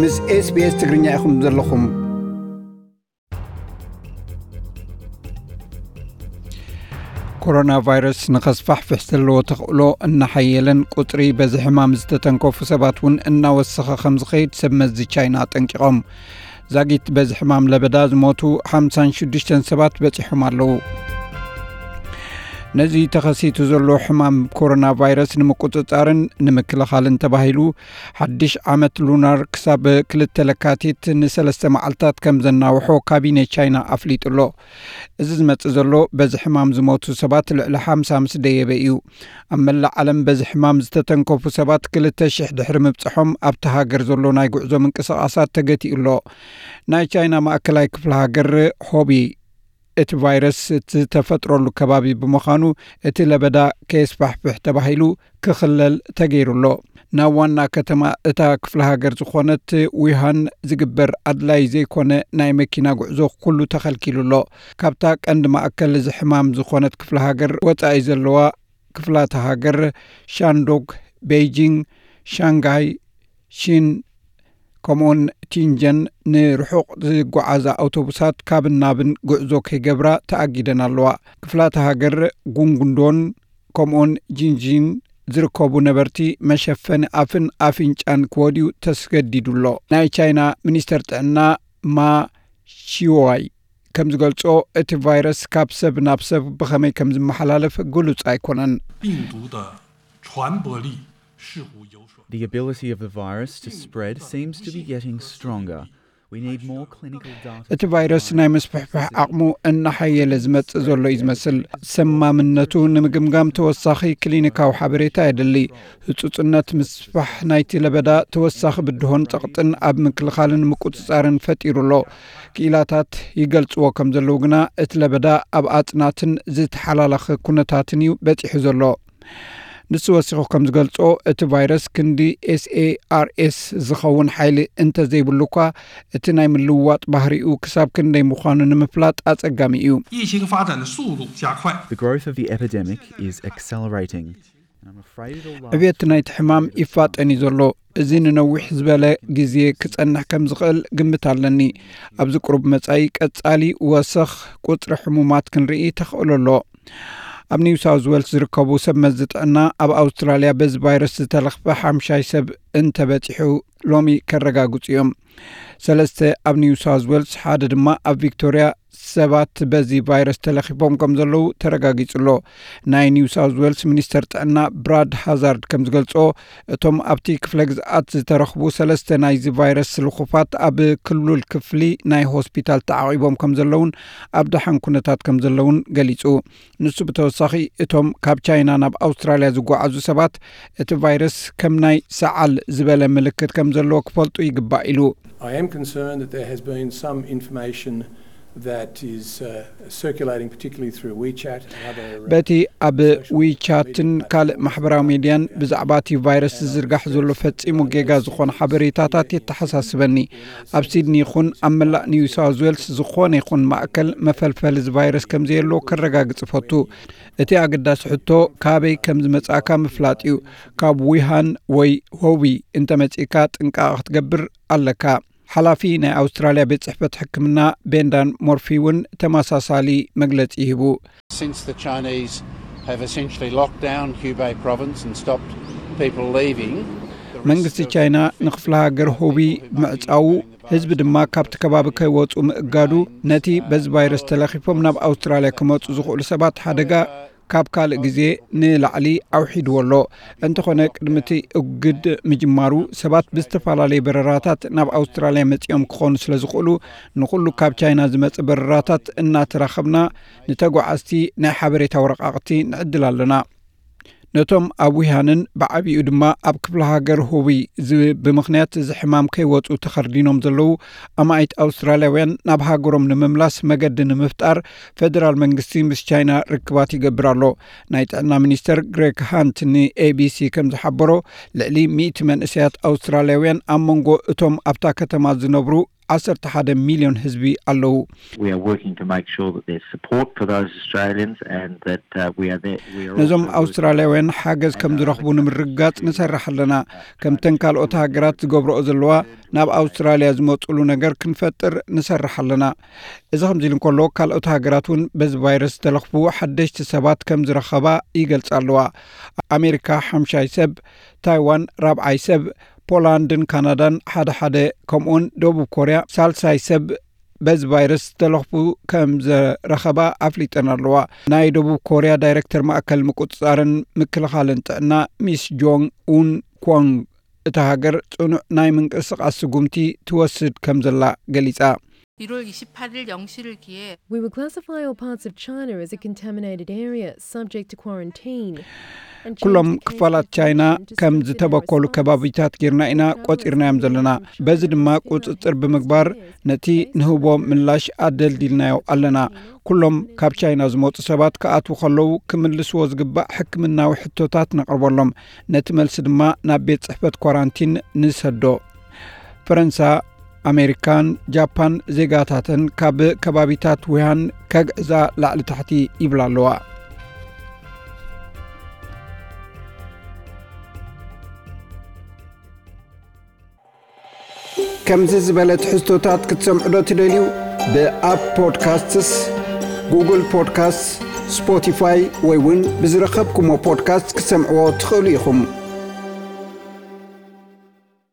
ምስ SBS ትግርኛ ኢኹም ዘለኹም። ኮሮና ቫይረስ ንኸስፋሕፍሕ ዘለዎ ተኽእሎ እናሓየለን ቁጽሪ በዚ ሕማም ዝተተንከፉ ሰባት እውን እናወሰኸ ከም ዝኸይድ ሰብ መዚ ቻይና ኣጠንቂቖም። ዛጊት በዚ ሕማም ለበዳ ዝሞቱ ሓምሳን ሽዱሽተን ሰባት በጺሖም ኣለዉ። ነዚ ተኸሲቱ ዘሎ ሕማም ኮሮና ቫይረስ ንምቁጽጻርን ንምክልኻልን ተባሂሉ ሓድሽ ዓመት ሉናር ክሳብ ክልተ ለካቲት ንሰለስተ መዓልታት ከም ዘናውሖ ካቢኔ ቻይና ኣፍሊጡ ኣሎ። እዚ ዝመጽእ ዘሎ በዚ ሕማም ዝሞቱ ሰባት ልዕሊ ሓምሳ ምስ ደየበ እዩ። ኣብ መላእ ዓለም በዚ ሕማም ዝተተንከፉ ሰባት ክልተ ሽሕ ድሕሪ ምብጽሖም ኣብቲ ሃገር ዘሎ ናይ ጉዕዞ ምንቅስቓሳት ተገቲኡ ኣሎ። ናይ ቻይና ማእከላይ ክፍለ ሃገር ሆቢ እቲ ቫይረስ እትተፈጥረሉ ከባቢ ብምዃኑ እቲ ለበዳ ከየስፋሕፍሕ ተባሂሉ ክኽለል ተገይሩ ኣሎ። ናብ ዋና ከተማ እታ ክፍለ ሃገር ዝኾነት ዊሃን ዝግበር ኣድላይ ዘይኮነ ናይ መኪና ጉዕዞ ኩሉ ተኸልኪሉ ኣሎ። ካብታ ቀንዲ ማእከል እዚ ሕማም ዝኾነት ክፍለ ሃገር ወጻኢ ዘለዋ ክፍላተ ሃገር ሻንዶግ፣ ቤይጂንግ፣ ሻንጋይ፣ ሺን ከምኡውን ቲንጀን ንርሑቕ ዝጓዓዛ ኣውቶቡሳት ካብን ናብን ጉዕዞ ከይገብራ ተኣጊደን ኣለዋ። ክፍላተ ሃገር ጉንጉንዶን ከምኡውን ጂንጂን ዝርከቡ ነበርቲ መሸፈኒ ኣፍን ኣፍንጫን ክወድዩ ተስገዲዱ ኣሎ። ናይ ቻይና ሚኒስተር ጥዕና ማ ሺዋይ ከም ዝገልጾ፣ እቲ ቫይረስ ካብ ሰብ ናብ ሰብ ብኸመይ ከም ዝመሓላለፍ ግሉጽ ኣይኮነን። 病毒的传播力似乎有所 The ability of the virus to spread seems to be getting stronger. We need more clinical data. እቲ ቫይረስ ናይ መስፍሕፋሕ ዓቕሙ እናሓየለ ዝመጽእ ዘሎ እዩ ዝመስል። ሰማምነቱ ንምግምጋም ተወሳኺ ክሊኒካዊ ሓበሬታ የድሊ። ህጹጽነት ምስፋሕ ናይቲ ለበዳ ተወሳኺ ብድሆን ጸቕጥን ኣብ ምክልኻልን ምቁጽጻርን ፈጢሩ ኣሎ። ክኢላታት ይገልጽዎ ከም ዘለዉ ግና፣ እቲ ለበዳ ኣብ ኣጽናትን ዝተሓላለኸ ኩነታትን እዩ በጺሑ ዘሎ። ንሱ ወሲኹ ከም ዝገልጾ፣ እቲ ቫይረስ ክንዲ ኤስኤኣርኤስ ዝኸውን ሓይሊ እንተዘይብሉ እኳ፣ እቲ ናይ ምልውዋጥ ባህሪኡ ክሳብ ክንደይ ምዃኑ ንምፍላጥ ኣጸጋሚ እዩ። 疫情发展的速度加快。 The growth of the epidemic is accelerating. And I'm afraid it'll last ዕብየት ናይቲ ሕማም ይፋጠን እዩ ዘሎ። እዚ ንነዊሕ ዝበለ ግዜ ክጸንሕ ከም ዝኽእል ግምት ኣለኒ። ኣብዚ ቁሩብ መጻኢ ቀጻሊ ወሰኽ ቁጽሪ ሕሙማት ክንርኢ ተኽእሎ ኣሎ። ኣብ ኒው ሳውዝ ዌልስ ዝርከቡ ሰብ መዚ ጥዕና፣ ኣብ ኣውስትራልያ በዚ ቫይረስ ዝተለኽፈ ሓምሻይ ሰብ እንተበጺሑ ሎሚ ከረጋግጹ እዮም። ሰለስተ ኣብ ኒው ሳውዝ ዌልስ፣ ሓደ ድማ ኣብ ቪክቶርያ ሰባት በዚ ቫይረስ ተለኺፎም ከም ዘለዉ ተረጋጊጹ ኣሎ። ናይ ኒው ሳውዝ ዌልስ ሚኒስተር ጥዕና ብራድ ሃዛርድ ከም ዝገልጾ፣ እቶም ኣብቲ ክፍለ ግዝኣት ዝተረኽቡ ሰለስተ ናይዚ ቫይረስ ልኹፋት ኣብ ክሉል ክፍሊ ናይ ሆስፒታል ተዓቒቦም ከም ዘለዉን ኣብ ደሓን ኩነታት ከም ዘለዉን ገሊጹ። ንሱ ብተወሳኺ፣ እቶም ካብ ቻይና ናብ ኣውስትራልያ ዝጓዓዙ ሰባት እቲ ቫይረስ ከም ናይ ሰዓል ዝበለ ምልክት ከም ዘለዎ ክፈልጡ ይግባእ ኢሉ። I am concerned that there has been some information that is uh, circulating, particularly through WeChat and other. Uh, በቲ ኣብ ዊቻትን ካልእ ማሕበራዊ ሚድያን ብዛዕባ እቲ ቫይረስ ዝዝርጋሕ ዘሎ ፈጺሙ ጌጋ ዝኾነ ሓበሬታታት የተሓሳስበኒ። ኣብ ሲድኒ ይኹን ኣብ መላእ ኒው ሳውዝ ዌልስ ዝኾነ ይኹን ማእከል መፈልፈሊ እዚ ቫይረስ ከም ዘየሎ ከረጋግጽ እፈቱ። እቲ ኣገዳሲ ሕቶ፣ ካበይ ከም ዝመጻእካ ምፍላጥ እዩ። ካብ ዊሃን ወይ ሆቢ እንተመጺእካ ጥንቃቐ ክትገብር ኣለካ። ሓላፊ ናይ ኣውስትራልያ ቤት ጽሕፈት ሕክምና ቤንዳን ሞርፊ እውን ተመሳሳሊ መግለጺ ሂቡ። Since the Chinese have essentially locked down Hubei province and stopped people leaving, መንግስቲ ቻይና ንክፍለ ሃገር ሆቢ ምዕጻዉ፣ ህዝቢ ድማ ካብቲ ከባቢ ከይወጹ ምእጋዱ፣ ነቲ በዚ ቫይረስ ተለኺፎም ናብ ኣውስትራልያ ክመጹ ዝኽእሉ ሰባት ሓደጋ ካብ ካልእ ግዜ ንላዕሊ ኣውሒድዎ ኣሎ። እንተኾነ፣ ቅድሚ እቲ እግድ ምጅማሩ፣ ሰባት ብዝተፈላለየ በረራታት ናብ ኣውስትራልያ መጺኦም ክኾኑ ስለ ዝኽእሉ፣ ንኹሉ ካብ ቻይና ዝመጽእ በረራታት እናተራኸብና ንተጓዓዝቲ ናይ ሓበሬታ ወረቓቕቲ ንዕድል ኣለና። ነቶም ኣብ ዊሃንን ብዓቢኡ ድማ ኣብ ክፍለ ሃገር ሁቢ ዝ-፣ ብምኽንያት እዚ ሕማም ከይወጹ ተኸርዲኖም ዘለዉ ኣማኢት ኣውስትራልያውያን ናብ ሃገሮም ንምምላስ መገዲ ንምፍጣር፣ ፈደራል መንግስቲ ምስ ቻይና ርክባት ይገብር ኣሎ። ናይ ጥዕና ሚኒስተር ግሬግ ሃንት ንኤቢሲ ከም ዝሓበሮ፣ ልዕሊ ሚእቲ መንእሰያት ኣውስትራልያውያን ኣብ መንጎ እቶም ኣብታ ከተማ ዝነብሩ ዓሰርተ ሓደ ሚልዮን ህዝቢ ኣለዉ። We are working to make sure that there's support for those Australians and that uh, we are there. We are ነዞም also working- ኣውስትራልያውያን ሓገዝ ከም ዝረኽቡ ንምርግጋጽ ንሰርሕ ኣለና። ከምተን ካልኦት ሃገራት ዝገብረኦ ዘለዋ ናብ ኣውስትራልያ ዝመፅሉ ነገር ክንፈጥር ንሰርሕ ኣለና። እዚ ከምዚ ኢሉ እንከሎ ካልኦት ሃገራት እውን በዚ ቫይረስ ዝተለኽፉ ሓደሽቲ ሰባት ከም ዝረኸባ ይገልጻ ኣለዋ። ኣሜሪካ ሓምሻይ ሰብ፣ ታይዋን ራብዓይ ሰብ፣ ፖላንድን ካናዳን ሓደ ሓደ፣ ከምኡውን ደቡብ ኮርያ ሳልሳይ ሰብ በዚ ቫይረስ ዝተለኽፉ ከም ዘረኸባ ኣፍሊጠን ኣለዋ። ናይ ደቡብ ኮርያ ዳይሬክተር ማእከል ምቁጽጻርን ምክልኻልን ጥዕና ሚስ ጆንግ ኡን ኳንግ፣ እታ ሃገር ጽኑዕ ናይ ምንቅስቓስ ስጉምቲ ትወስድ ከም ዘላ ገሊጻ። 일월 이십팔 일 영 시를 기해 We would classify all parts of China as a contaminated area subject to quarantine. ኩሎም ክፋላት ቻይና ከም ዝተበከሉ ከባቢታት ጌርና ኢና ቆጺርናዮም ዘለና። በዚ ድማ ቁጽጽር ብምግባር ነቲ ንህቦ ምላሽ ኣደልዲልናዮ ኣለና። ኩሎም ካብ ቻይና ዝመጹ ሰባት ክኣትዉ ከለዉ ክምልስዎ ዝግባእ ሕክምናዊ ሕቶታት ነቕርበሎም። ነቲ መልሲ ድማ ናብ ቤት ጽሕፈት ኳራንቲን ንሰዶ። ፈረንሳ፣ ኣሜሪካን ጃፓን ዜጋታተን ካብ ከባቢታት ውሃን ከግዕዛ ላዕሊ ታሕቲ ይብላ ኣለዋ። ከምዚ ዝበለ ትሕዝቶታት ክትሰምዑ ዶ ትደልዩ? ብኣፕ ፖድካስትስ፣ ጉግል ፖድካስት፣ ስፖቲፋይ ወይ እውን ብዝረኸብኩሞ ፖድካስት ክትሰምዕዎ ትኽእሉ ኢኹም።